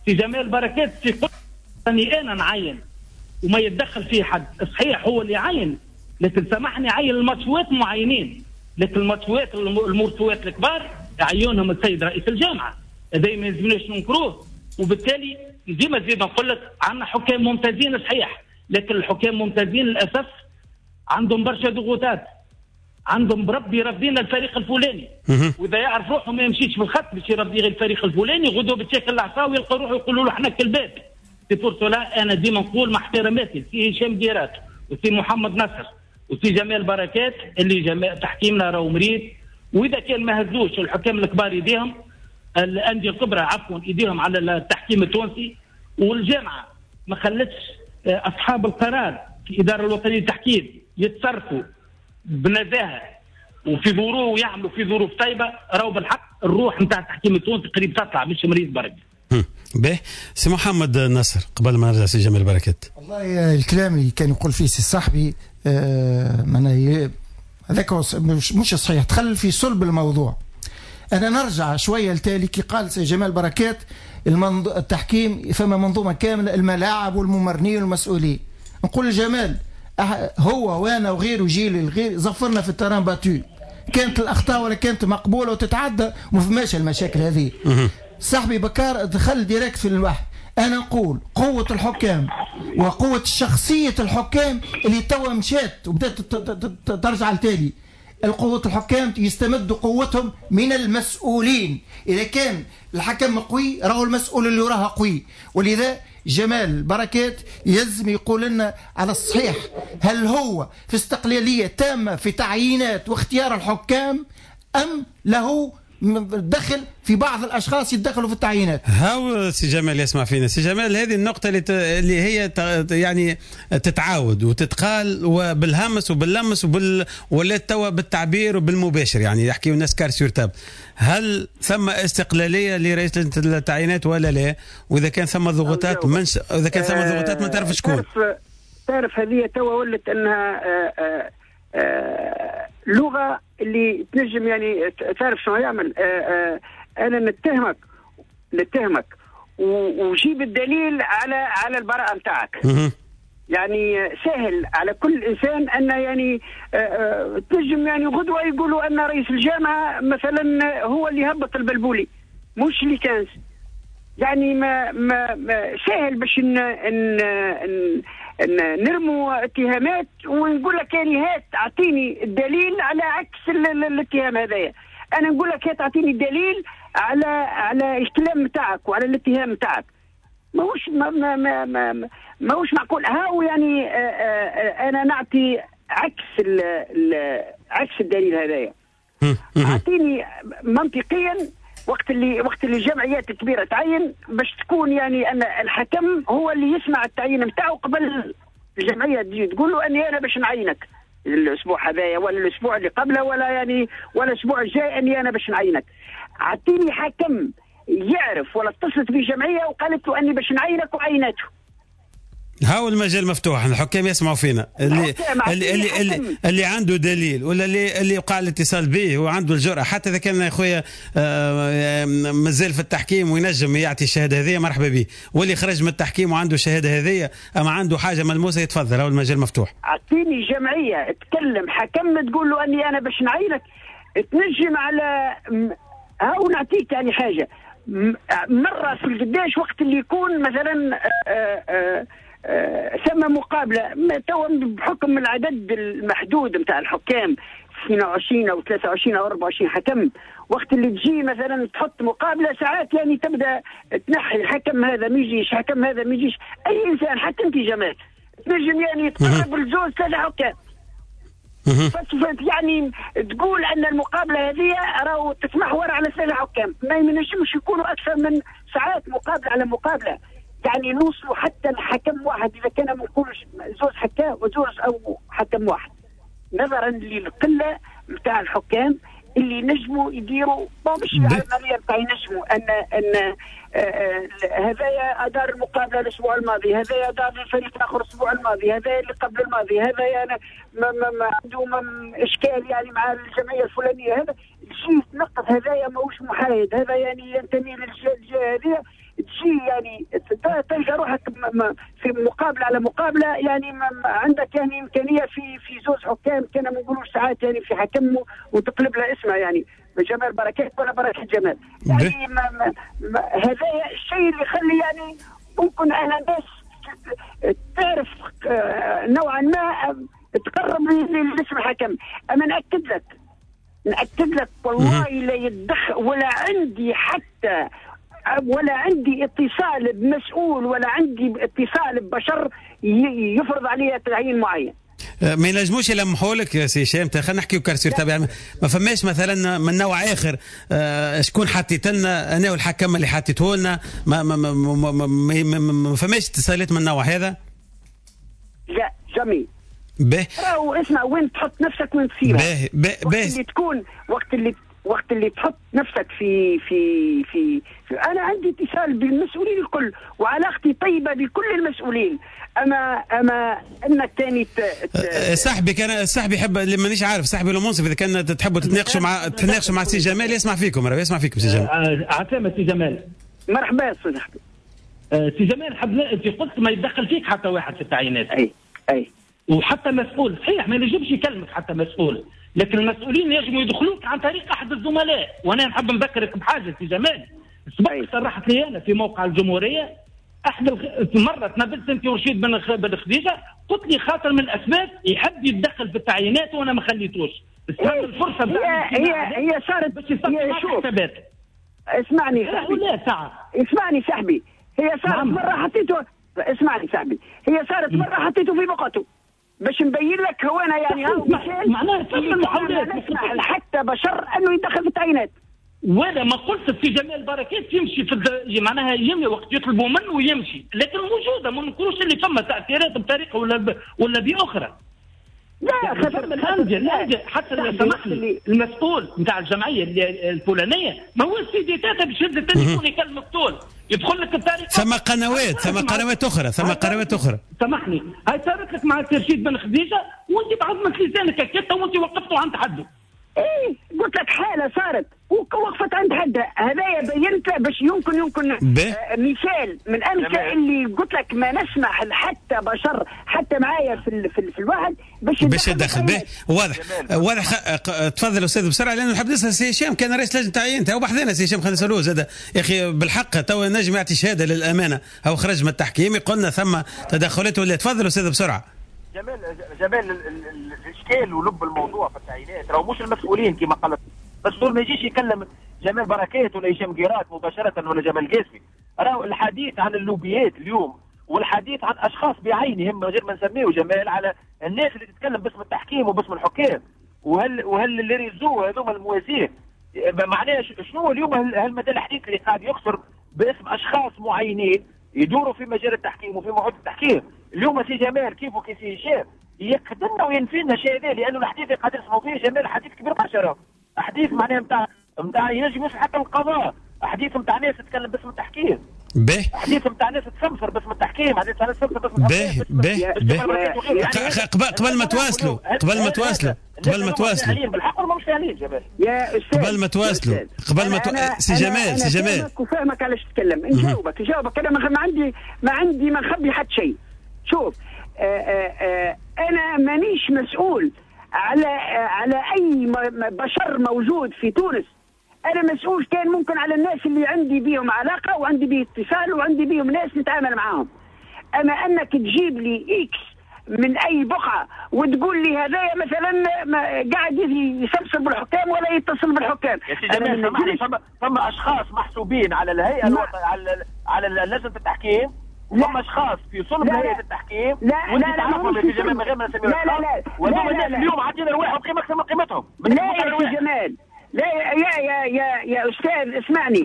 سي جمال بركات يقول اني انا نعين وما يتدخل فيه حد، صحيح هو اللي يعين، لكن سامحني عين الماتشوات معينين، لكن الماتشوات المرسوات الكبار عيونهم السيد رئيس الجامعة، هذا ما يلزمناش ننكروه. وبالتالي ديما زيد نقول لك عندنا حكام ممتازين صحيح، لكن الحكام ممتازين للاسف عندهم برشا ضغوطات، عندهم بربي يرضينا الفريق الفلاني، واذا يعرف روحه ما يمشيش في الخط باش يرضي غير الفريق الفلاني، غدوه بتشكل العصا ويلقى روحه يقولوا له احنا كالباب. c'est pour cela انا ديما نقول مع احتراماتي سي هشام ديرات وسي محمد نصر وسي جمال بركات اللي جمال تحكيمنا راهو مريض، واذا كان ما هزوش الحكام الكبار يديهم، الاندية الكبرى عفوا يديهم على التحكيم التونسي، والجامعة ما خلتش اصحاب القرار في الادارة الوطنية للتحكيم يتصرفوا بنزاهه وفي ظروف، ويعملوا في ظروف طيبة، راهو بالحق الروح نتاع التحكيم التونسي قريب تطلع، مش مريض برك. به سي محمد نصر قبل ما نرجع سي جمال بركات. والله الكلام اللي كان يقول فيه سي صاحبي معناها هذاك مش صحيح، دخل في صلب الموضوع. انا نرجع شوية لتالي كي قال سي جمال بركات التحكيم فما منظومة كاملة، الملاعب والممرنين والمسؤولين. نقول لجمال هو وانا وغيره جيل الغير زفرنا في ال terrain battu، كانت الاخطاء ولا كانت مقبولة وتتعدى وما فماش المشاكل هذه. صاحبي بكار دخل direct في الواحد. انا نقول قوة الحكام وقوه شخصية الحكام اللي توا مشات وبدات ترجع لتالي، القوة الحكام يستمدوا قوتهم من المسؤولين. إذا كان الحكم قوي راهو المسؤول اللي وراها قوي. ولذا جمال بركات يلزم يقول لنا على الصحيح، هل هو في استقلالية تامة في تعيينات واختيار الحكام أم له دخل في بعض الاشخاص يتدخلوا في التعيينات؟ هاو سي جمال يسمع فينا. سي جمال، هذه النقطة اللي هي يعني تتعاود وتتقال وبالهمس وباللمس ولات توا بالتعبير وبالمباشر، يعني يحكيوا الناس cartes sur table. هل ثم استقلالية لرئيس التعيينات ولا لا؟ واذا كان ثم ضغوطات من اذا كان ثم ضغوطات ما تعرف شكون. تعرف هذه توا ولت انها لغة اللي تنجم يعني تعرف شنو يعمل. انا نتهمك وجيب الدليل على البراءة نتاعك. يعني سهل على كل انسان ان يعني تنجم يعني غدوه يقولوا ان رئيس الجامعة مثلا هو اللي هبط البلبولي مش اللي كان، يعني ما ما, ما سهل باش نرموا اتهامات ونقول لك يعني هات اعطيني الدليل على عكس الاتهام هذايا. انا نقول لك هات اعطيني الدليل على الكلام نتاعك وعلى الاتهام نتاعك. ماهوش ما ما ما ما ماهوش معقول. هاو يعني انا نعطي عكس عكس الدليل هذايا. اعطيني منطقيا وقت اللي الجمعيات الكبيرة تعين باش تكون يعني ان الحكم هو اللي يسمع التعيين نتاعو قبل الجمعية تجي تقول له اني انا باش نعينك الاسبوع هذايا ولا الاسبوع اللي قبله ولا يعني ولا الاسبوع الجاي اني انا باش نعينك. اعطيني حكم يعرف ولا اتصلت بجمعية وقالت له اني باش نعينك وعينته. هاو المجال مفتوح، الحكام يسمعوا فينا، اللي اللي اللي, اللي, اللي عنده دليل ولا اللي وقع الاتصال به وعنده الجرأة، حتى اذا كان يا خويا مازال في التحكيم وينجم يعطي الشهادة هذه مرحبا به، واللي خرج من التحكيم وعنده الشهادة هذه اما عنده حاجة ملموسة يتفضل، هاو المجال مفتوح. اعطيني جمعية تكلم حكم تقول له اني انا باش نعينك، تنجم على هاو نعطيك يعني حاجة مرة في القداش وقت اللي يكون مثلا ثم مقابله توا بحكم العدد المحدود نتاع الحكام 22 او 23 او 24 حكم، وقت اللي تجي مثلا تحط مقابله ساعات يعني تبدا تنحي الحكم هذا ما يجيش، حكم هذا ما يجيش، اي انسان حتى انت جمال تنجم يعني تقرب لزوج ثلاثة حكام. يعني تقول ان المقابلة هذه راهو تتمحور على 3 حكام، ما ينجمش يكونوا اكثر من ساعات مقابله على مقابله، يعني نوصلوا حتى لحكم واحد اذا كان ما نقولوش زوج حكام وزوج او حكم واحد، نظرا للقله نتاع الحكام اللي نجموا يديروا مش العملية نتاع ينجموا ان هذايا ادار المقابلة الاسبوع الماضي، هذايا ادار الفريق الاخر الاسبوع الماضي، هذايا اللي قبل الماضي، هذايا انا ما عنده اشكال يعني مع الجمعية الفلانية، هذا تجي تنقص، هذايا ماهوش محايد، هذا يعني ينتمي للجهة هذه، تجي يعني تلقى روحك في مقابله على مقابله، يعني عندك يعني امكانية في زوج حكام كان ما نقولوش ساعات يعني في حكم وتقلب لها اسمها يعني جمال بركات ولا بركات جمال، يعني هذا الشيء اللي يخلي يعني ممكن انا الناس تعرف نوعا ما تقرب لاسم الحكم. اما نأكد لك والله لا يتدخل ولا عندي حتى ولا عندي اتصال بمسؤول ولا عندي اتصال ببشر يفرض علي تعيين معين. ما ينجموش يلمحوا لك يا سي هشام، خلينا نحكيو كارسير تبع، ما فماش مثلا من نوع اخر شكون حطيت لنا انا والحكم اللي حطيته لنا، ما ما ما ما, ما, ما, ما فماش اتصالات من النوع هذا؟ لا جميل. به راهو اسمع، وين تحط نفسك وين تصير. به وقت اللي تكون وقت اللي تحط نفسك في في في, في انا عندي اتصال بالمسؤولين الكل وعلاقتي طيبة بكل المسؤولين، اما انك ثاني صاحبي كان صاحبي يحب اللي مانيش عارف صاحبي المنصف، اذا كان تحبوا تتناقشوا مع سي جمال يسمع فيكم، راه يسمع فيكم سي جمال. عسلامة سي جمال. مرحبا صاحبي. سي جمال، حب انت قلت ما يتدخل فيك حتى واحد في التعيينات. اي وحتى مسؤول، صحيح ما ينجمش يكلمك حتى مسؤول، لكن المسؤولين يجموا يدخلوك عن طريق احد الزملاء. وانا نحب نذكرك بحاجة سي جمال، سبق صرحت لي انا في موقع الجمهورية احد مرة تنبلت انت ورشيد بن خديجة، قلت لي خاطر من الاسباب يحب يتدخل في التعيينات وانا ما خليتوش. استغل الفرصة هي صارت باش يصفي حسابات. اسمعني صاحبي، لا ساعة اسمعني صاحبي، هي صارت نعم. مرة حطيته، اسمعني صاحبي، هي صارت مرة حطيته في بقعته باش نبين لك هو انا يعني معناها ثم المحاولات نسمح حتى بشر انه يدخل في التعيينات. وانا ما قلت في جمال بركات يمشي في معناها يمشي وقت يطلبوا منه ويمشي، لكن موجودة، ما نقولوش اللي فما تاثيرات بطريقة ولا باخرى. لا يعني الاندية حتى سمح لي المسؤول نتاع الجمعية الفلانية ما هو سيدي تاتا باش يهز التليفون يكلمك طول يدخل لك بطريقة. ثم قنوات، ثم قنوات اخرى، ثم قنوات اخرى. سامحني، هاي صارت لك مع رشيد بن خديجة وانت بعظمة لسانك هكا وانت وقفته عند حده. ايه قلت لك حاله صارت ووقفت عند حدها، هذايا بينت باش يمكن مثال من امثلة اللي قلت لك ما نسمح حتى بشر حتى معايا في الواحد باش يدخل به. واضح واضح. تفضل استاذ بسرعة لانه نحب نسال سي هشام، كان رئيس لجنة تعيين تو بحذنا سي هشام، خلينا نسالوه زاد يا اخي بالحق تو نجم يعطي شهادة للامانة، هو خرج من التحكيم قلنا ثم تدخلات ولا. تفضل استاذ بسرعة. جمال الاشكال ولب الموضوع في التعيينات راهو مش المسؤولين كما قالت، المسؤول ما يجيش يكلم جمال بركات ولا هشام قيرات مباشرة ولا جمال قاسمي. راهو الحديث عن اللوبيات اليوم والحديث عن اشخاص بعينهم من غير ما نسميه جمال، على الناس اللي تتكلم باسم التحكيم وباسم الحكام، وهل اللي réseaux هذوما الموازين معناها شنو اليوم هالمدى الحديث اللي قاعد يكثر باسم اشخاص معينين يدوروا في مجال التحكيم وفي معهد التحكيم. اليوم سي جمال كيف وكي سي هشام يقدمنا وينفينا الشيء هذا، لانه الحديث اللي قاعد نسمعوا فيه جمال حديث كبير برشا، حديث معناها نتاع ينجم يوصل حتى القضاء، حديث نتاع ناس تتكلم باسم التحكيم، حديث نتاع ناس تسمسر باسم التحكيم، حديث نتاع ناس تسمسر باسم به قبل ما تواصلوا قبل ما تواصلوا قبل ما تواصلوا بالحق ولا مش فاهمين جمال يا استاذ، قبل ما تواصلوا قبل ما سي جمال سي جمال وفاهمك علاش تتكلم، نجاوبك انا ما عندي ما نخبي حتى شيء. شوف انا مانيش مسؤول على اي بشر موجود في تونس، انا مسؤول كان ممكن على الناس اللي عندي بيهم علاقة وعندي بيه اتصال وعندي بيهم ناس نتعامل معاهم. اما انك تجيب لي X من اي بقعة وتقول لي هذايا مثلا قاعد يسمسر بالحكام ولا يتصل بالحكام، يا سي جمال فما اشخاص محسوبين على الهيئة الوطنية على لجنة التحكيم وفما اشخاص في صلب هيئة التحكيم. لا لا لا في جمال من غير ما نسميهم. لا لا لا، وهذوما الناس اليوم عاطين رواحهم قيمة اكثر من قيمتهم. لا يا سي جمال، لا يا يا يا يا استاذ اسمعني،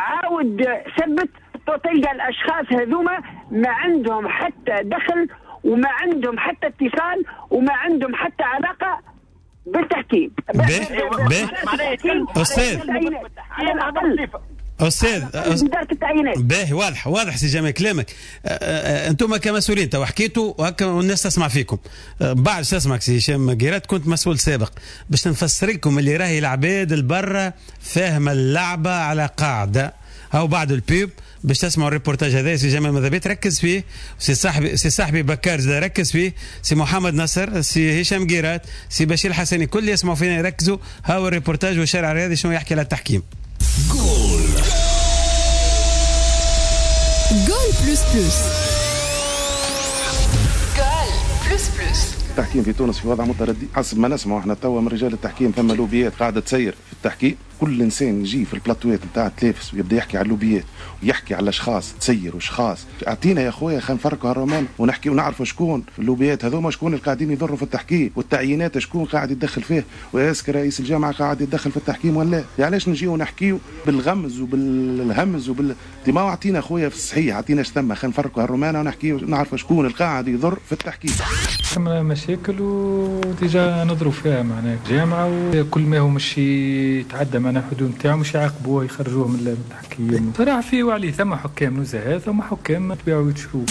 عاود ثبت، تلقى الاشخاص هذوما ما عندهم حتى دخل وما عندهم حتى اتصال وما عندهم حتى علاقة بالتحكيم. استاذ على الاقل استاذ ادارة التعيينات. باهي، واضح واضح سي جمال كلامك. انتم كمسؤولين تو حكيتوا وهكا والناس تسمع فيكم. بعد تسمعك سي هشام قيرات، كنت مسؤول سابق، باش نفسر لكم اللي راهي العباد البرة فاهمه اللعبة على قاعدة. هاو بعد ال pub باش تسمعوا الريبورتاج هذا سي جمال ماذا تركز فيه، سي صاحبي بكار زاد ركز فيه، سي محمد نصر، سي هشام قيرات، سي بشير الحسني، كل اللي يسمعوا فينا يركزوا. هاو الريبورتاج والشارع الرياضي شنو يحكي على التحكيم. جول جول plus plus. جول plus plus. التحكيم في تونس في وضع متردي حسب ما نسمعوا احنا توا من رجال التحكيم. ثم لوبيات قاعدة تسير في التحكيم. كل انسان يجي في البلاتوات نتاع التلافز ويبدا يحكي على اللوبيات ويحكي على اشخاص تسير واشخاص. اعطينا يا خويا خلينا نفركوا هالرومان ونحكي ونعرفوا شكون اللوبيات هذوما، شكون اللي قاعدين يضروا في التحكيم، والتعيينات شكون قاعد يتدخل فيه، و est-ce que رئيس الجامعة قاعد يتدخل في التحكيم ولا لا. علاش نجيو نحكيو بالغمز وبالهمز وبال ما اعطينا خويا في الصحيح، اعطينا اش ثم، خلينا نفركوا هالرومان ونحكيو نعرفوا شكون اللي قاعد يضر في التحكيم. ثم مشاكل و déjà نضروا فيها معناها الجامعة، وكل ما هو مش يتعدى معناها الحدود نتاعو مش يعاقبوه يخرجوه من التحكيم. صراحة فيه وعليه ثم حكام نزهاء، ثم حكام تبيعوا وتشروا.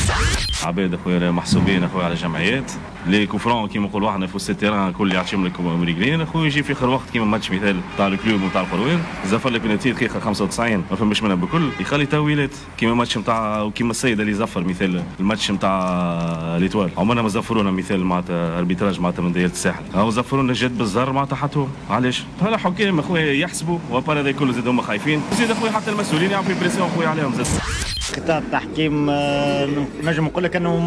عباد اخويا محسوبين اخويا على جمعيات les coups francs كيما نقولوا احنا في وسط ال terrain كل يعطيهم لك مريقلين اخويا. يجي في اخر وقت كيما ماتش مثال تاع ال Club نتاع القروان زفر لك بنتي دقيقة 95 ما فماش منها بكل، يخلي تاويلات كيما ماتش نتاع وكيما السيد اللي زفر مثال الماتش نتاع l'Étoile عمرنا ما زفرونا مثال معناتها arbitrage معناتها من دايرة الساحل، هاو زفرونا جد بالزهر معناتها حطوه. علاش؟ هلا حكام اخويا يحسبوا و à part هذا كله زاد هما خايفين، زيد اخويا حتى المسؤولين يعملوا pression اخويا عليهم زاد. قطاع التحكيم نجم نقول لك انه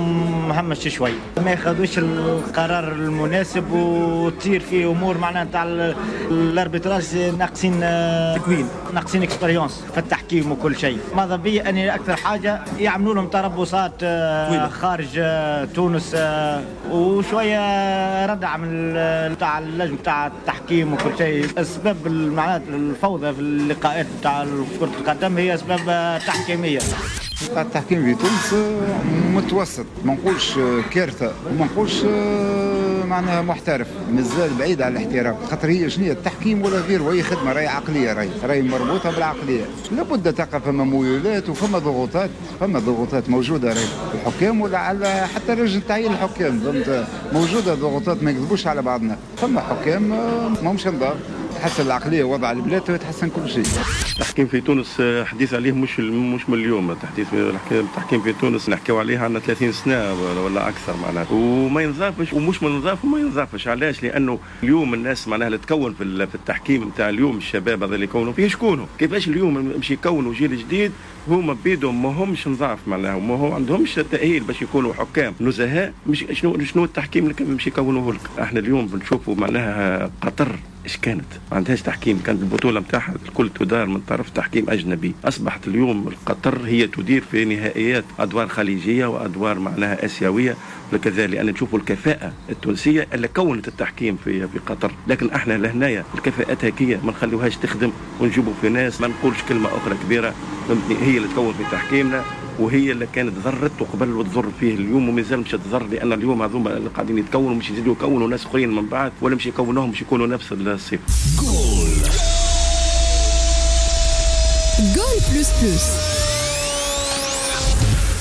مهمش شوي، ما ياخذوش القرار المناسب وتصير فيه امور معناها تاع ال arbitrage ناقصين تكوين، ناقصين expérience في التحكيم وكل شيء. ماذا بي اني اكثر حاجة يعملوا لهم تربصات خارج تونس وشوية ردع من تاع اللجنة تاع التحكيم وكل شيء. اسباب معناها الفوضى في اللقاءات تاع كره القدم هي اسباب تحكيميه. التحكيم في تونس متوسط، ما نقولش كارثة وما نقولش معناها محترف، مازال بعيد على الاحتراف. خاطر هي شنو التحكيم ولا غيره، وهي خدمة راهي عقلية، راهي مربوطة بالعقليه. لابد تقع فما ميولات وفما ضغوطات، فما ضغوطات موجودة راهي الحكام ولا على حتى لجنة تعيين الحكام، فهمت؟ موجودة ضغوطات، ما نكذبوش على بعضنا. فما حكام ماهمش نظام، تحسن العقلية وضع البلاد ويتحسن كل شيء. التحكيم في تونس حديث عليه مش من اليوم. التحكيم في تونس نحكيو عليه عندنا 30 سنة ولا اكثر معناها، وما ينظافش ومش من نظاف وما ينظافش. علاش؟ لانه اليوم الناس معناها اللي تكون في التحكيم نتاع اليوم، الشباب هذا اللي يكونوا فيه شكونوا؟ كيفاش اليوم مش يكونوا جيل جديد هما بيدهم ما همش نظاف معناها، وما هو عندهمش تاهيل باش يكونوا حكام نزهاء. مش شنو التحكيم اللي مش يكونوه لك؟ احنا اليوم بنشوفوا معناها قطر ايش كانت؟ ما عندهاش تحكيم، كانت البطولة نتاعها الكل تدار من طرف تحكيم اجنبي. اصبحت اليوم قطر هي تدير في نهائيات ادوار خليجية وادوار معناها اسيوية وكذا، لان نشوفوا الكفاءة التونسية اللي كونت التحكيم في قطر. لكن احنا لهنايا الكفاءات هكيه ما نخليوهاش تخدم ونجيبوا في ناس ما نقولش كلمة اخرى كبيرة، فهمتني؟ هي اللي تكون في تحكيمنا وهي اللي كانت ضرت قبل وتضر فيه اليوم ومازال مش تضر، لان اليوم هذوما اللي قاعدين يتكونوا مش يزيدوا يكونوا ناس اخرين من بعد، ولا مش يكونوهم مش يكونوا نفس الصفة. جول جول plus plus.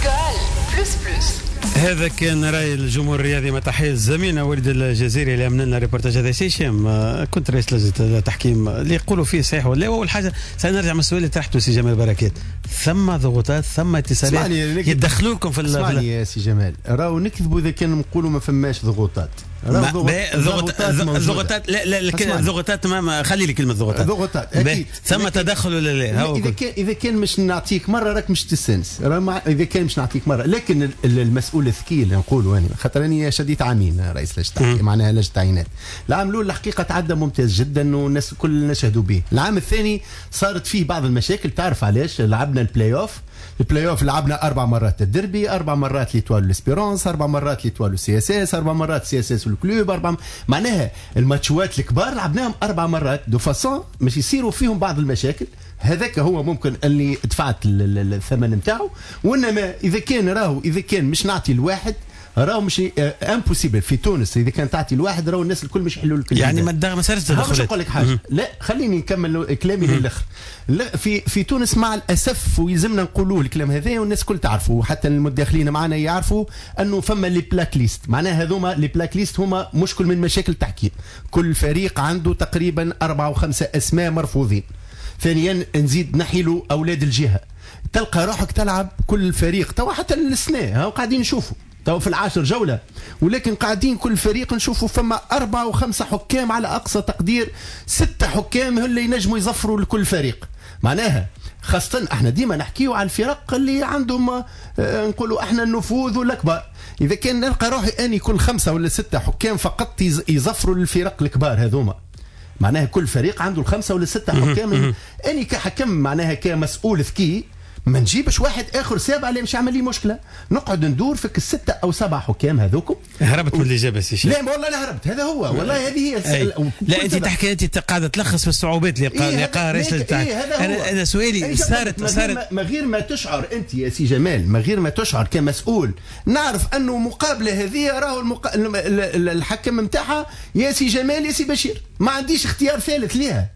جول plus plus. هذا كان راي الجمهور الرياضي مع تحية زميلنا وليد الجزيري اللي عمل لنا ريبورتاج هذا. سي هشام، كنت رئيس لجنة التحكيم، اللي يقولوا فيه صحيح ولا؟ اول حاجة سنرجع من السؤال اللي طرحته سي جمال بركات، ثم ضغوطات، ثم اتصالات يدخلوكم في اسمعني يا سي جمال، راهو نكذبوا اذا كان نقولوا ما فماش ضغوطات. الضغوطات لا لا الضغوطات ما خلي لي كلمة ضغوطات. ضغوطات اكيد ثم تدخل ولا لا؟ اذا كان مش نعطيك مرة راك مش تستانس، اذا كان مش نعطيك مرة. لكن المسؤول الذكي اللي نقولوا انا، خاطر اني شديت عامين رئيس لجنة معناها لجنة تعيينات. العام الاول الحقيقة تعدى ممتاز جدا والناس الكل نشهدوا به. العام الثاني صارت فيه بعض المشاكل، تعرف علاش؟ لعبنا ال play-off، ال play-off لعبنا 4 مرات الدربي، 4 مرات l'Étoile l'Espérance، 4 مرات l'Étoile CSS، 4 مرات CSS وال Club، 4 معناها الماتشوات الكبار لعبناهم 4 مرات de façon مش يصيروا فيهم بعض المشاكل. هذاك هو ممكن اللي دفعت الثمن نتاعو. وانما اذا كان راهو اذا كان مش نعطي الواحد راهو مش impossible في تونس. اذا كان تعطي الواحد راهو الناس الكل مش يحلوا لك. يعني ما صارش تدخلات. باش نقول لك حاجة، لا خليني نكمل كلامي للاخر. لا في تونس مع الاسف ويلزمنا نقولوه الكلام هذا والناس الكل تعرفوا، حتى المتداخلين معنا يعرفوا انه فما les blacklists. معناها هذوما les blacklists هما مشكل من مشاكل التحكيم. كل فريق عنده تقريبا 4 و5 اسماء مرفوضين. ثانيا نزيد نحيلوا اولاد الجهة. تلقى روحك تلعب كل فريق توا حتى السنة قاعدين نشوفوا تو في 10 جولة، ولكن قاعدين كل فريق نشوفوا فما 4 و5 حكام على أقصى تقدير 6 حكام اللي ينجموا يظفروا لكل فريق. معناها خاصة احنا ديما نحكيو على الفرق اللي عندهم نقولوا احنا النفوذ والأكبر. إذا كان نلقى روحي أني كل 5 ولا 6 حكام فقط يظفروا للفرق الكبار هذوما، معناها كل فريق عنده 5 ولا 6 حكام. أني كحكم معناها كمسؤول ذكي ما نجيبش واحد اخر سابع اللي مش عمل لي مشكلة، نقعد ندور فيك 6 أو 7 حكام هذوكم. هربت من الاجابة سي شيخ. لا والله لا هربت، هذا هو والله هذه هي. لا انت تحكي، انت قاعدة تلخص في الصعوبات اللي لقاها رئيس إيه انا سؤالي صارت ما غير ما تشعر انت يا سي جمال، ما غير ما تشعر كمسؤول، نعرف انه مقابله هذه راهو الحكم نتاعها يا سي جمال يا سي بشير، ما عنديش اختيار ثالث ليها.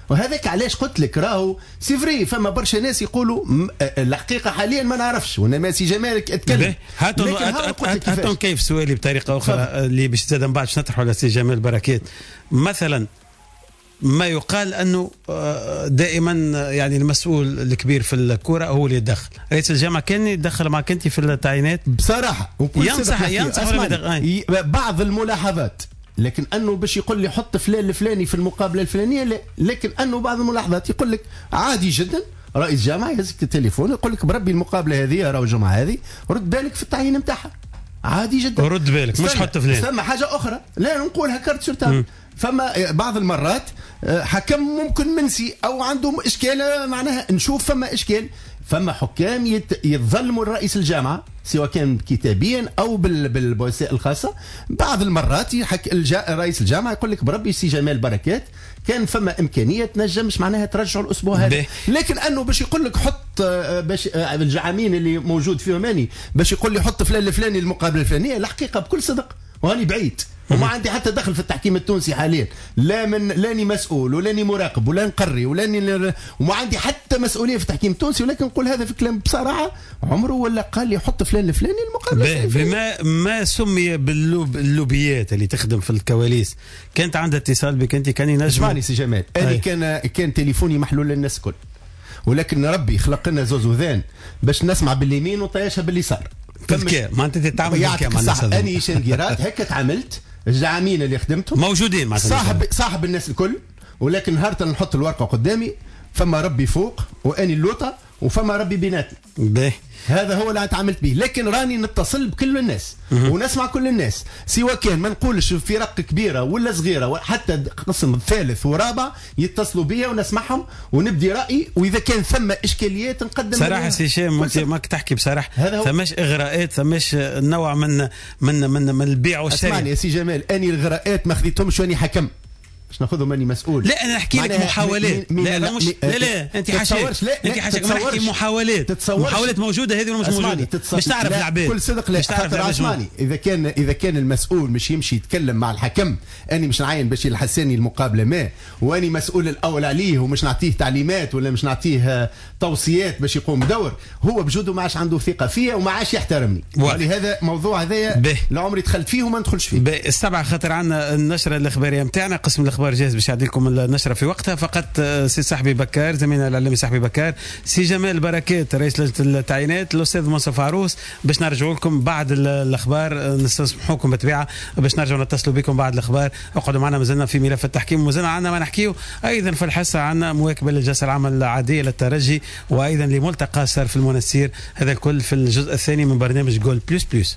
وهذاك علاش قلت لك راهو c'est vrai فما برشا ناس يقولوا الحقيقة حاليا ما نعرفش، وانما سي جمال اتكلم. هاتون كيف سؤالي بطريقة اخرى اللي باش زاد من بعد باش نطرحه على سي جمال بركات. مثلا ما يقال انه دائما يعني المسؤول الكبير في الكره هو اللي يتدخل، رئيس الجامعة كان يتدخل معك انت في التعيينات؟ بصراحة ينصح بعض الملاحظات، لكن انه باش يقول لي حط فلان الفلاني في المقابلة الفلانية لا. لكن انه بعض الملاحظات يقول لك عادي جدا رئيس جامعه يهزك التليفون يقول لك بربي المقابلة هذه راهو الجمعة هذه رد بالك في التعيين نتاعها، عادي جدا رد بالك مش حط فلان. ثم حاجة اخرى لا نقولها carte sur table، فما بعض المرات حكم ممكن منسي او عنده اشكال، معناها نشوف فما اشكال، فما حكام يتظلموا لرئيس الجامعة سواء كان كتابيا او بالوسائل الخاصة. بعض المرات رئيس الجامعة يقول لك بربي سي جمال بركات كان فما امكانية تنجمش معناها ترجعوا الاسبوع هذا، لكن انه باش يقول لك حط باش الجعامين اللي موجود فيهم اني باش يقول لي حط فلان الفلاني المقابلة الفلانية، الحقيقة بكل صدق وهاني بعيد وما عندي حتى دخل في التحكيم التونسي حاليا، لا من لاني مسؤول ولاني مراقب ولا نقري ولاني وما عندي حتى مسؤولية في التحكيم التونسي، ولكن نقول هذا في كلام بصراحة عمره ولا قال لي حط فلان الفلاني المقابلة. بما ما سمي باللوبيات اللي تخدم في الكواليس، كانت عندها اتصال بك انت؟ كان ينجم. اسمعني سي جمال، انا كان تليفوني محلول للناس الكل، ولكن ربي خلق لنا زوز وذان باش نسمع باليمين وطياشها باليسار. بالذكاء ما انت تتعامل بالذكاء مع الناس. اني شنقيرات هكا تعاملت، الزعامين اللي خدمتهم موجودين مع صاحب الناس الكل، ولكن نهار نحط الورقة قدامي فما ربي فوق واني اللوطه وفما ربي بيناتي. هذا هو اللي تعاملت به، لكن راني نتصل بكل الناس ونسمع كل الناس، سواء كان ما نقولش فرق كبيرة ولا صغيرة، حتى قسم ثالث ورابع يتصلوا بيا ونسمعهم ونبدي رايي، واذا كان ثم اشكاليات نقدم. صراحة سي هشام انت ماك تحكي بصراحة، ثماش اغراءات، ثماش نوع من من من, من البيع والشراء. اسمعني يا سي جمال، اني الاغراءات ما خذيتهمش واني حكم باش ناخذهم اني مسؤول. لا انا نحكي لك محاولات. لا لا مش لا لا انت حاشاك، انت حاشاك، ما نحكي محاولات. محاولات موجودة هذه ولا مش موجودة؟ باش تعرف العباد كل صدق. لا خاطر اسمعني، اذا كان المسؤول مش يمشي يتكلم مع الحكم، اني مش نعين بشير الحساني المقابلة ما، واني مسؤول الاول عليه ومش نعطيه تعليمات ولا مش نعطيه توصيات باش يقوم بدور، هو بجوده ما عادش عنده ثقة فيا وما عادش يحترمني. ولهذا موضوع هذايا لا عمري دخلت فيه وما ندخلش فيه. السبعة خاطر عندنا النشرة الاخبارية نتاعنا، قسم الاخبار. الاخبار جاهز باش يعدي لكم النشرة في وقتها. فقط سي صاحبي بكار زميلنا الاعلامي صاحبي بكار، سي جمال بركات رئيس لجنة التعيينات، الاستاذ منصف عروس، باش نرجعوا لكم بعد الاخبار. نستسمحوكم بالطبيعة باش نرجعوا نتصلوا بكم بعد الاخبار. اقعدوا معنا، مازلنا في ملف التحكيم ومازلنا عندنا ما نحكيو ايضا في الحصة. عندنا مواكبة للجلسه العامة العادية للترجي وايضا لملتقى صار في المنستير. هذا الكل في الجزء الثاني من برنامج Goal Plus Plus.